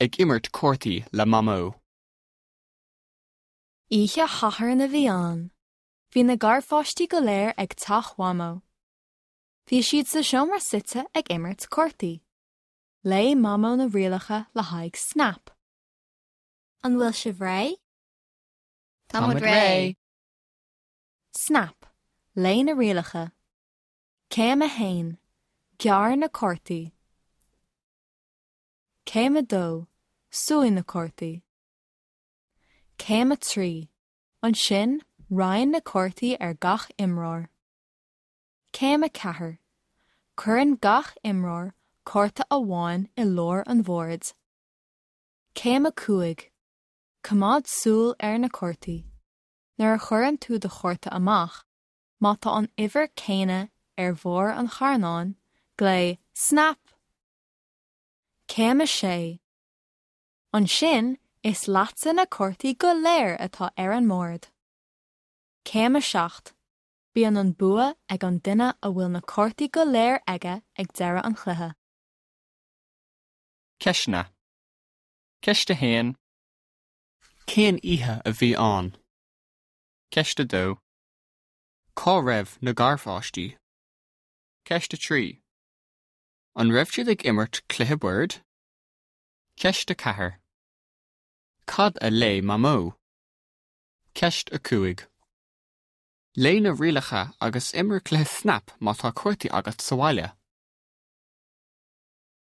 Ag imirt cártaí le Mamó. Oíche Shathairn a bhí ann. Bhí na garpháistí go léir ag teach Mhamó. Bhí siad sa seomra suite ag imirt cártaí. Léigh Mamó na rialacha le haghaidh Snap. An bhfuil sibh réidh? Tá muid réidh! Snap, Léigh na rialacha. Céim 1, Gearr na cártaí. Céim 2, Suigh na cártaí. Céim 3, Ansin, roinn na cártaí ar gach imreoir. Céim 4, Cuireann gach imreoir cárta amháin i lár an bhoird. Céim 5, Coimeád súil ar na cártaí. Nuair a chuireann tú do chárta amach, má tá an uimhir céanna ar bharr an charnáin, glaoigh 'Snap! Céim 6, Ansin is leatsa na cártaí go léir atá ar an mbord. Céim 7, Bíonn an bua ag an duine a bhfuil na cártaí go léir aige ag deireadh an chluiche. Ceisteanna. Ceist 1. Cén oíche a bhí ann? Ceist 2. Cá raibh na garpháistí? Ceist 3. An raibh siad ag imirt cluiche boird? Ceist 4. Cad a léigh Mamó? Ceist 5. Léigh na rialacha agus imir cluiche Snap má tá cártaí agat sa bhaile.